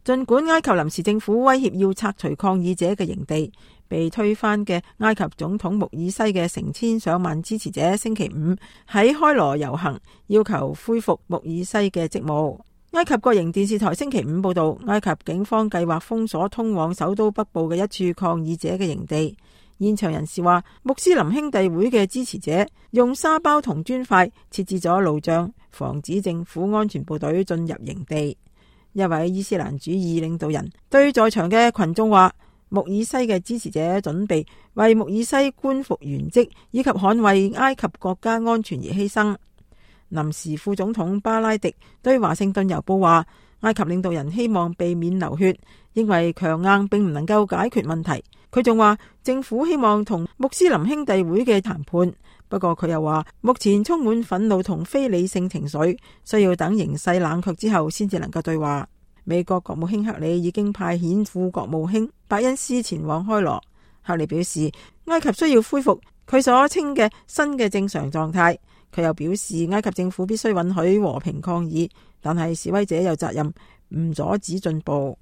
儘管埃及臨時政府威脅要拆除抗議者嘅營地，被推翻嘅埃及總統穆爾西嘅成千上萬支持者星期五喺開羅遊行，要求恢復穆爾西嘅職務。埃及國營電視台星期五報道，埃及警方計劃封鎖通往首都北部嘅一處抗議者嘅營地。現場人士話，穆斯林兄弟會嘅支持者用沙包同磚塊設置咗路障，防止政府安全部隊進入營地。一位伊斯蘭主義領導人對在場嘅群眾話，穆爾西嘅支持者準備為穆爾西官復原職以及捍衛埃及國家安全而犧牲。臨時副總統巴拉迪對華盛頓郵報話，埃及領導人希望避免流血，認為強硬並唔能夠解決問題。佢仲話政府希望同穆斯林兄弟會嘅談判，不過佢又話目前充滿憤怒同非理性情緒，需要等形勢冷卻之後先至能夠對話。美國國務卿克里已經派遣副國務卿伯恩斯前往開羅。克里表示，埃及需要恢復佢所稱嘅新嘅正常狀態。佢又表示，埃及政府必須允許和平抗議，但係示威者有責任唔阻止進步。